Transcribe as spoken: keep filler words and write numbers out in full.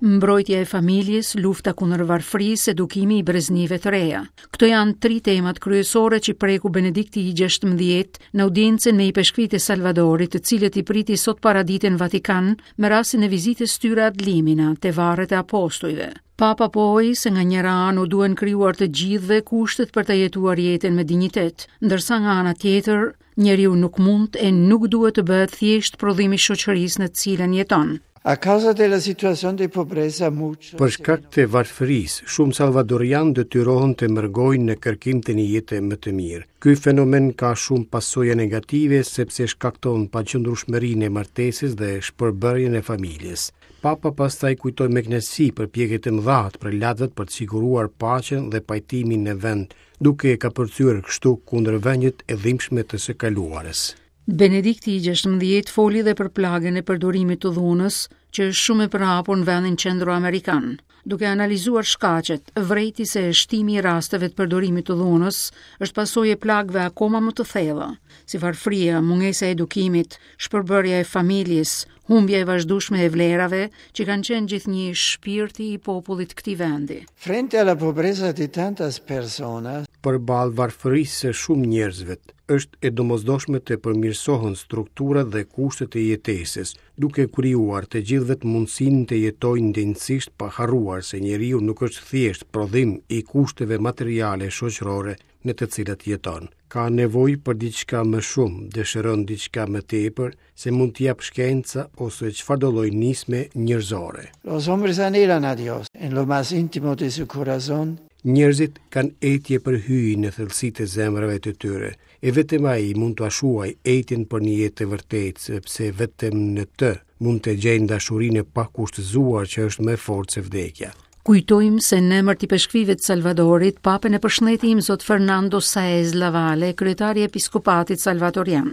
Mbrojtja e familjes, lufta kundër varfërisë, edukimi i breznive të reja. Këto janë tri temat kryesore që preku Benedikti i gjashtëmbëdhjetë në audiencën me ipeshkvit e Salvadorit, të cilët i priti sot paradite në Vatikan me rastin e vizitës tyre ad limina te varret e apostujve. Papa pohoi se nga njëra anë u duhen krijuar të gjithëve kushtet për të jetuar jetën me dinjitet, ndërsa nga ana tjetër, njeriu nuk mund e nuk duhet të bëhet thjesht prodhimi i shoqërisë në të cilën jeton. A causa della situazione di pobrezza muchos Për shkak të varfërisë, shumë salvadorian detyrohen të mërgojnë në kërkim të një jete më të mirë. Ky fenomen ka shumë pasoja negative sepse shkakton paqëndrueshmërinë e martesës dhe shpërbërjen e familjes. Papa pastaj kujtoi me kënaqësi përpjekjet e mëdha të prelatëve për të siguruar paqen dhe pajtimin në vend, duke e kapërcyer kështu kundërvëniet e dhimbshme të së kaluarës. Benedikti i gjashtëmbëdhjetë foli dhe për plagën e përdorimit të dhunës, që është shumë e përhapur në vendin qendroamerikan. Duke analizuar shkaqet, vrejti se shtimi i rasteve të përdorimit të dhunës është pasojë e plagëve akoma më të thella, si varfëria, mungesa e edukimit, shpërbërja e familjes, humbja e vazhdueshme e vlerave që kanë qenë gjithnjë shpirti i popullit këtij vendi. Frente alla pobrezza di tantas personas, Përballë varfërisë së shumë njerëzve, është e domosdoshme të përmirësohen strukturat dhe kushtet e jetesës, duke krijuar të gjithëve mundësinë të jetojnë denjësisht pa harruar se njeriu nuk është thjesht prodhim i kushteve materiale shoqërore në të cilat jeton. Ka nevojë për diçka më shumë, dëshiron diçka më tepër se mund t'i jap shkenca ose çfarëdo lloj nisme njerëzore. Los hombres anhelan a Dios en lo más íntimo de su corazón. Njerëzit kanë etje për hyjin në thellësitë e zemrave të tyre, e vetëm ai mund t'ua shuaj etjen për një jetë të vërtetë, sepse vetëm në të mund të gjejnë dashurinë e pakushtëzuar që është më e fortë se vdekja. Kujtojmë se në emër të ipeshkvivë të Salvadorit, papën e përshëndeti Imzot Fernando Saez Lavale, kryetari i Episkopatit Salvatorian.